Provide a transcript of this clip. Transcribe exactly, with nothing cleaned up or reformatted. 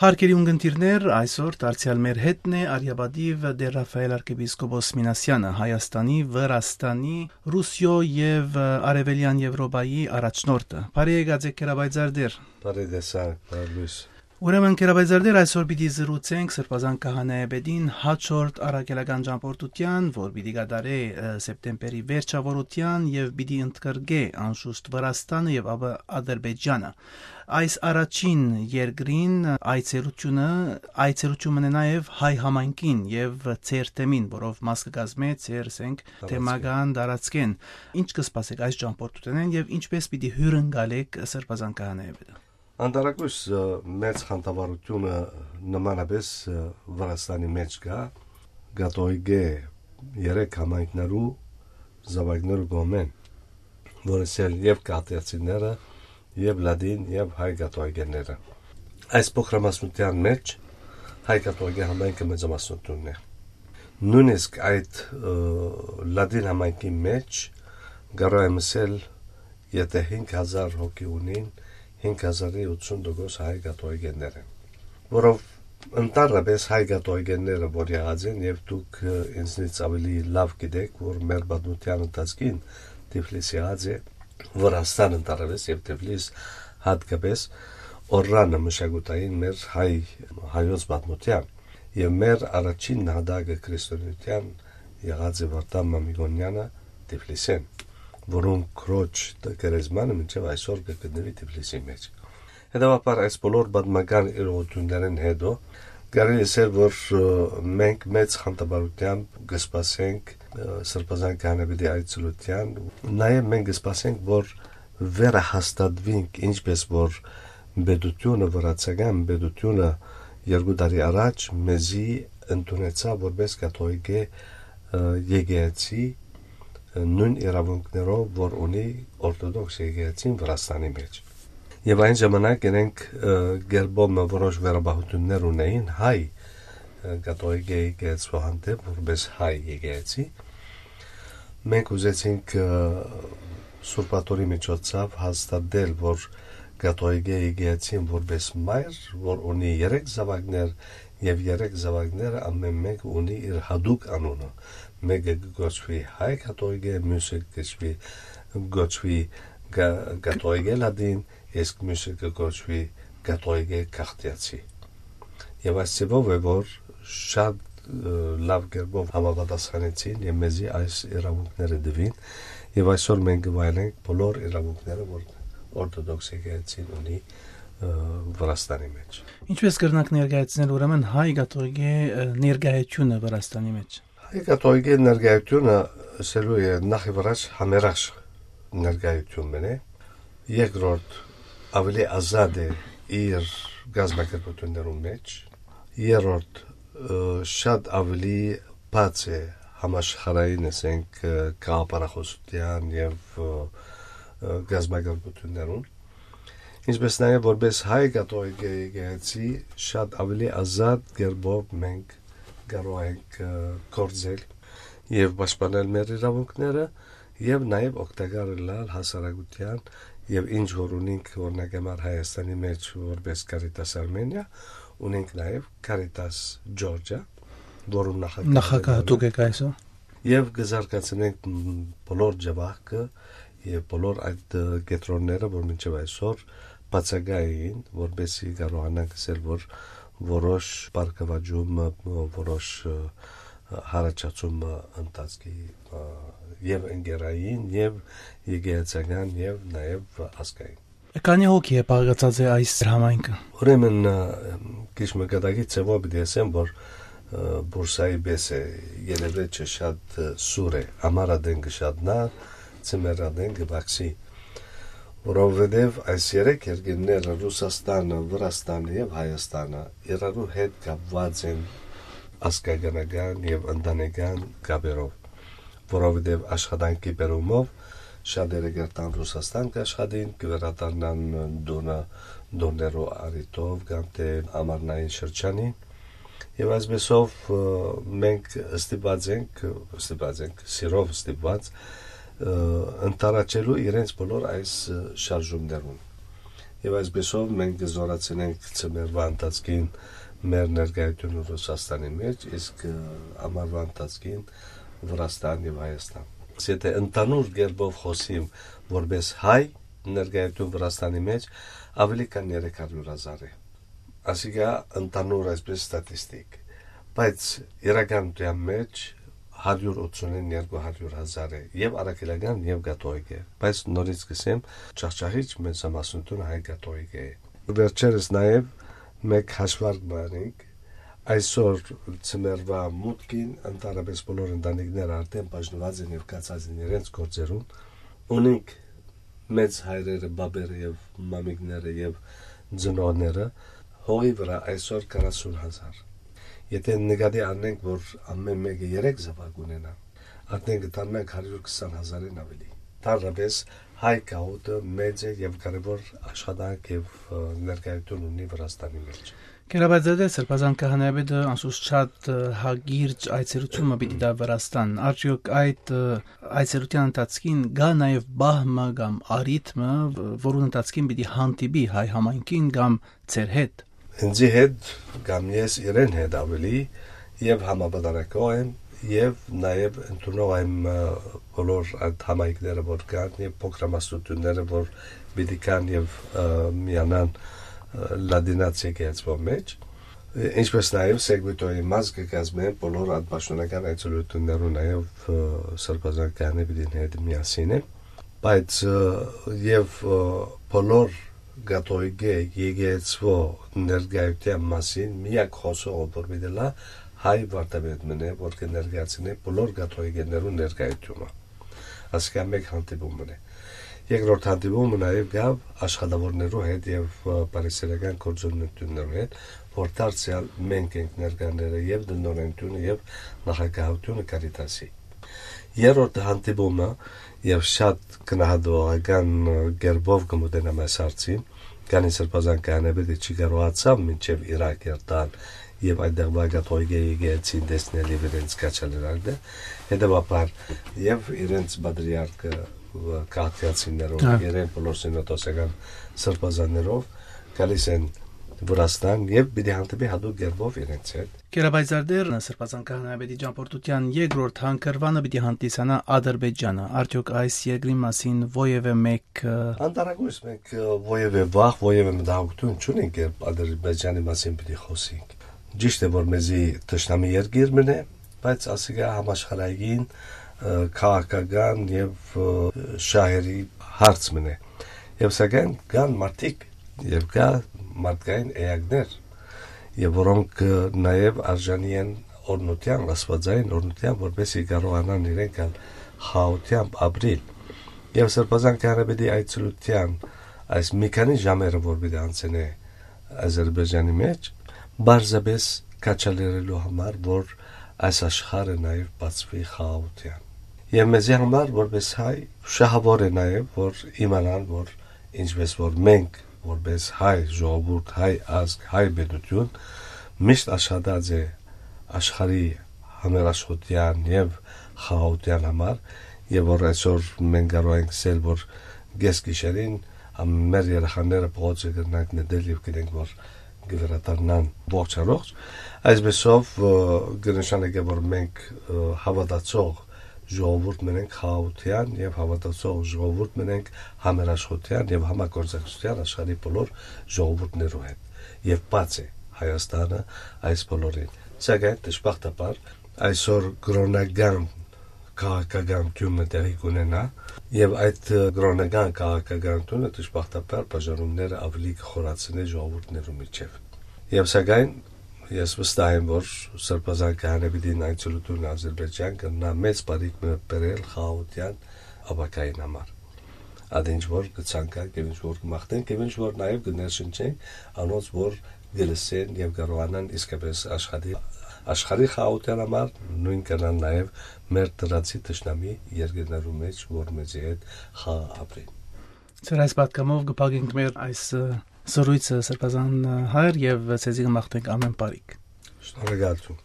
Հարգելի ունգընտիրներ, այսօր դարձեալ մեր հետն է արիապատիվ Տէր Ռաֆայել արքեպիսկոպոս Մինասեանը, Հայաստանի, Վրաստանի, Ռուսիոյ եւ, ը, Արեւելեան Եւրոպայի առաջնորդը։ Բարի եկած եք, Գերաբայձար Տէր։ Բարի տեսակ, բարի լույս։ Ուրեմն, Գերաբայձար Տէր, այսօր պիտի զրուցենք Սրբազան Քահանայապետին հաջորդ առաքելական ճամբորդութեան, որ պիտի կատարէ, ը, սեպտեմբերի վերջաւորութեան եւ պիտի ընդգրկէ անշուշտ Վրաստանը եւ ապա Ադրբեջանը։ Այս առաջին երկրին այցելութիւնը, այցելութիւն մնա նաեւ հայ համայնքին եւ ձեր թեմին, որով մաս կը կազմէ ձեր, ասենք, Տարածքին։ Թեմական տարածքէն։ Ինչ կը սպասեք այս ճամբորդութենէն եւ ինչպէս պիտի հիւրընկալեք Սրբազան Քահանայապետը։ Անտարակոյս, ը, մեծ խանդավառութիւնը նմանապէս, ը, Վրաստանի մէջ կայ, կաթողիկէ երեք համայնքներու զաւակներու կողմէն, որս ալ եւ կաթեացիները, եւ լատին, եւ հայ կաթողիկեները։ Այս փոքրամասնութեան մէջ հայ կաթողիկէ համայնքը մեծամասնութիւնն է։ Նոյնիսկ այդ, ը, լատին համայնքի մէջ կարող եմ ասել, եթե հինգ հազար հոգի ունին, հինգ հազարի ութսուն տոկոս հայ կաթողիկեներ են, որով ընդհանրապէս հայ կաթողիկեները որ եղած են, եւ դուք, ը, ինձնից աւելի լաւ գիտէք, որ մեր պատմութեան ընթացքին Թիֆլիս եղած է, Վրաստան ընդհանրապէս եւ Թիֆլիս յատկապէս օրրանը մշակութային մեր հայ, հայոց պատմութեան, եւ մեր առաջին նահատակը քրիստոնեութեան եղած է Վարդան Մամիկոնեանը Թիֆլիսէն, որուն քրոջ գերեզմանը մինչեւ այսօր կը գտնուի Թիֆլիսի մէջ։ Հետեւաբար, այս բոլոր պատմական իրողութիւններէն հետո կարելի է ասել, որ, ը, մենք մեծ խանդավառութեամբ կը սպասենք, ը, Սրբազան Քահանայապետի այցելութեան։ Նաեւ մենք կը սպասենք, որ վերահաստատուինք, ինչպէս որ պետութիւնը, վրացական պետութիւնը երկու տարի առաջ մեզի ընդունեցաւ որպէս կաթողիկէ, ը, եկեղեցի, ը, նոյն իրաւունքներով, որ ունի օրթոդոքս եկեղեցին Վրաստանի մէջ։ Եւ այն ժամանակ իրենք, ը, կերպով մը որոշ վերաբահութիւններ ունեին հայ, ը, կաթողիկէ եկեղեցու հանդէպ, որպէս հայ եկեղեցի։ Մենք ուզեցինք, ը, Սուրբ Աթոռի միջոցով հաստատել, որ կաթողիկէ եկեղեցին որպէս մայր, որ ունի երեք զաւակներ, եւ երեք զաւակները ամէն մէկը ունի իր յատուկ անունը։ Մէկը կը կոչուի հայ կաթողիկէ, միւսը կը կոչուի, կոչուի կա-, կաթողիկէ լատին, իսկ միւսը կը կոչուի կաթողիկէ քաղդիացի։ Եւ այս ձեւով է, որ շատ, ը, լաւ կերպով համապատասխանեցին եւ մեզի այս իրաւունքները տուին, եւ այսօր մենք կը վայելենք բոլոր իրաւունքները, որ օրթոդոքս եկեղեցին ունի, ը, Վրաստանի մէջ։ Ինչպէս կրնանք ներկայացնել ուրեմն հայ կաթողիկէ, ը, ներկայությունը Վրաստանի մէջ։ Հայ կաթողիկէ ներկայությունը, ըսելու է, նախ եւ առաջ համերաշխ ներկայություն մնե, երկրորդ, աւելի ազատ է իր կազմակերպութիւններուն մէջ, երրորդ, ը, շատ աւելի բաց է համաշխարհային, ասենք, ը, գաղափարախոսութեան եւ, ը, ը, կազմակերպութիւններուն, ինչպէս նաեւ որպէս հայ կաթողիկէ եկեղեցի շատ աւելի ազատ կերպով մենք կարող ենք, ը, գործել եւ պաշտպանել մեր իրաւունքները եւ նաեւ օգտակար ըլլալ հասարակութեան եւ ինչ որ ունինք, օրինակ համար Հայաստանի մէջ որպէս Caritas Armenia, ունենք նաեւ Caritas Georgia, որուն նախագահ Նախագահ դուք եք այսօր։ Եւ կը զարգացնենք, մ, բոլոր ջավախքը եւ բոլոր այդ, ը, կեդրոնները, որ մինչեւ այսօր բացակայ էին, որպեսզի կարողանանք ասել, որ որոշ բարգաւաճում, ը, որոշ, ը, հարաճացում, ը, ընթացքի, ը, եւ ընկերային, եւ եկեղեցական, եւ նաեւ ազգային։ Քանի՞ հոգի է բաղկացած է այս համայնքը։ Ուրեմն, ը, քիչ մը կատակի ձևով պիտի ասեմ, որ, ը, Բուրսայի պես է, երևէջը շատ, ը, սուր է, ամառ ատեն կը շատնայ, ձմեռ ատեն կը պակսի, որովհետեւ այս երեք երկիրները՝ Ռուսաստանը, Վրաստանը եւ Հայաստանը, իրարու հետ կապուած են ազգականական եւ ընտանեկան կապերով, որովհետեւ աշխատանքի բերումով շատերը կ'երթան Ռուսաստան կ'աշխատին, կը վերադառնան տունը, տոներու առիթով կամ թէ ամառնային շրջանին։ Եւ այսպեսով, ը, մենք ստիպված ենք, ստիպված ենք, սիրով ստիպված, ը, ընդառաջելու իրենց բոլոր այս, ը, շարժումներուն։ Եւ այսպեսով մենք կը զորացնենք ցմերվա ընթացքին մեր ներկայությունը Ռուսաստանի մեջ, իսկ, ը, ամառվա ընթացքին Վրաստան եւ Հայաստան։ Եթե ընդհանուր կերպով խօսիմ որպես հայ ներկայություն Վրաստանի մեջ, աւելի քան երեք հարիւր հազար է։ Ասիկա ընդհանուր այսպես ստատիստիկ, բայց իրականության մեջ հարիւր ութսունին երկու հարիւր հազար է, եւ առաքելական, եւ կաթողիկ է, բայց նորից կ'ըսեմ, ջախջախիչ մեծամասնությունը հայ կաթողիկ է։ Վերջերս նաեւ մեկ հաշվարկ բանիկ, այսօր ցմերվա մուտքին ընդհանրապես բոլոր ընտանիքները արդեն բաժնուած են եւ գացած են իրենց գործերուն, ունինք մեծ հայրերը, բաբերը եւ մամիկները եւ ծնողները հողի վրա այսօր քառասուն հազար։ Եթե նկատի առնենք, որ ամեն մեկը երեք զաւակ ունենայ, արդեն կ'φτանանք հարիւր քսան հազարին աւելի։ Ընդհանրապես հայ գաղութը մեծ է եւ կարեւոր աշխատանք եւ, ը, ներկայություն ունի Վրաստանի մեջ։ Գերապայծատեր Սրբազան Քահանայապետը անսուս շատ, ը, հակիրճ այցելութիւն մը պիտի տայ Վրաստան։ Արդեօք այդ, ը, այցելութեան ընթացքին կայ նաեւ պահ մը կամ առիթ մը, վ-, որուն ընթացքին պիտի հանդիպի հայ համայնքին կամ ձեր հետ։ Ինձի հետ կամ ես իրեն հետ աւելի եւ համապատասխանող եմ, եւ նաեւ ընդունող եմ, ը, բոլոր այդ համայնքները, որ կան, եւ փոքրամասնությունները, որ պիտի կան եւ, ը, միանան, ը, լատինացի եկեղեցւոյ մեջ, ը, ինչպես նաեւ Սեգվիտոյի մաս կը կազմեն բոլոր այդ պաշտօնական այցելութիւններուն, նաեւ, ը, Սրբազան Քահանայապետին հետ միասին է, բայց, ը, եւ, ը, բոլոր կաթողիկէ եկեղեցւոյ ներկայութեան մասին միակ խօսողը, որ պիտի լա, հայ վարդապետ մըն է, որ կը ներկայացնէ բոլոր կաթողիկէներուն ներկայութիւնը։ Ասիկա մեկ հանդիպում մըն է։ Երկրորդ հանդիպումը նաեւ կայ աշխատաւորներու հետ եւ, ը, բարեսիրական գործունեություններու հետ, որ դարձեալ մենք ենք ներկաները, եւ տնօրենութիւնը, եւ նախագահութիւնը Կարիտասի։ Երրորդ հանդիպումը, եւ շատ գնահատողական, ը, կերպով կը մոտենամ այս հարցին, քանի Սրբազան Քահանայապետը չի կարողացաւ մինչեւ Իրաք երթալ եւ այդտեղվա կաթողիկէ եկեղեցին տեսնել եւ իրենց քաջալերել դը, հետեւաբար եւ իրենց պատրիարքը, ը, քաղաքացիներով, Հա։ իրեն բոլոր սինոդոսական սրբազաններով գալիս են Վրաստան եւ պիտի հանդիպի յատուկ կերպով իրենց հետ։ Գերապայծատեր Սրբազան Քահանայապետի ճամբորդութեան երկրորդ հանգրուանը պիտի հանդիսանայ Ադրբեջանը։ Արդեօք այս երկրի մասին որեւէ մէկ, ը, Անտարակույս մենք, ը, որեւէ վախ, որեւէ մտահոգութիւն չունենք, երբ Ադրբեջանի մասին պիտի խօսենք։ Ճիշդ է, որ մեզի թշնամի երկիր մըն է, բայց ասիկա համաշխարհային, ը, քաղաքական եւ, ը, շահերի հարց մըն է։ Եւ սակայն կան մարդիկ եւ կայ մարդկային էակներ, եւ որոնք, ը, նաեւ արժանի են օրհնութեան, աստուածային օրհնութեան, որպեսզի կարողանան իրենք ալ խաղաղութեամբ ապրիլ։ Եւ Սրբազան Քահանայապետի այցելութեան այս մի քանի ժամերը, որ պիտի անցնէ Ադրբեջանի մեջ, պարզապէս քաջալերելու համար, որ այս աշխարհը նաեւ բացուի խաղաղութեան։ Եւ մեզի համար, որպես հայ, շահաւոր է նաեւ, որ իմանան, որ ինչպես որ մենք, որպես հայ ժողովուրդ, հայ ազգ, հայ պետութիւն, միշտ աշխատած է աշխարհի համերաշխութեան եւ խաղաղութեան համար, եւ որ այսօր մենք կարող ենք ասել, որ կես գիշերին ամ-, մեր երեխաները փողոցը կրնանք նետել եւ գիտենք, որ կը վերադառնան ողջ առողջ։ Այսպեսով, ը, կը նշանակէ, որ մենք, ը, հաւատացող ժողովուրդ մնենք խաղաղութեան եւ հաւատացող ժողովուրդ մնենք համերաշխութեան եւ համագործակցութեան աշխարհի բոլոր ժողովուրդներու հետ։ Եւ բաց է Հայաստանը այս բոլորին։ Սակայն դժբախտաբար այսօր կրոնական քաղաքականութիւնը տեղի կունենայ, եւ այդ, ը, կրոնական քաղաքականութիւնը դժբախտաբար բաժանումները աւելի կը խորացնէ ժողովուրդներու միջեւ։ Եւ սակայն ես վստահ եմ, որ Սրբազան Քահանայապետին այցելութիւնը Ադրբեջան կրնայ մեծ բարիք մը բերել խաղաղութեան ապագային համար։ Ատինչ որ կը ցանկանք եւ ինչ որ կը մաղթենք եւ ինչ որ նաեւ կը ներշնչենք անոնց, որ կը լսեն եւ կարողանան իսկապես աշխատի աշխարհի խաղաղութեան համար, նոյն կրնան նաեւ մեր դրացի թշնամի երկրներու մեջ, որ մեզի հետ խաղաղ ապրին։ Ձեր այս պատգամով կը փակենք մեր այս, ը, զրույցը, Սրբազան, ը, հայր, եւ ձեզի կը մաղթենք ամեն բարիք։ Շնորհակալություն։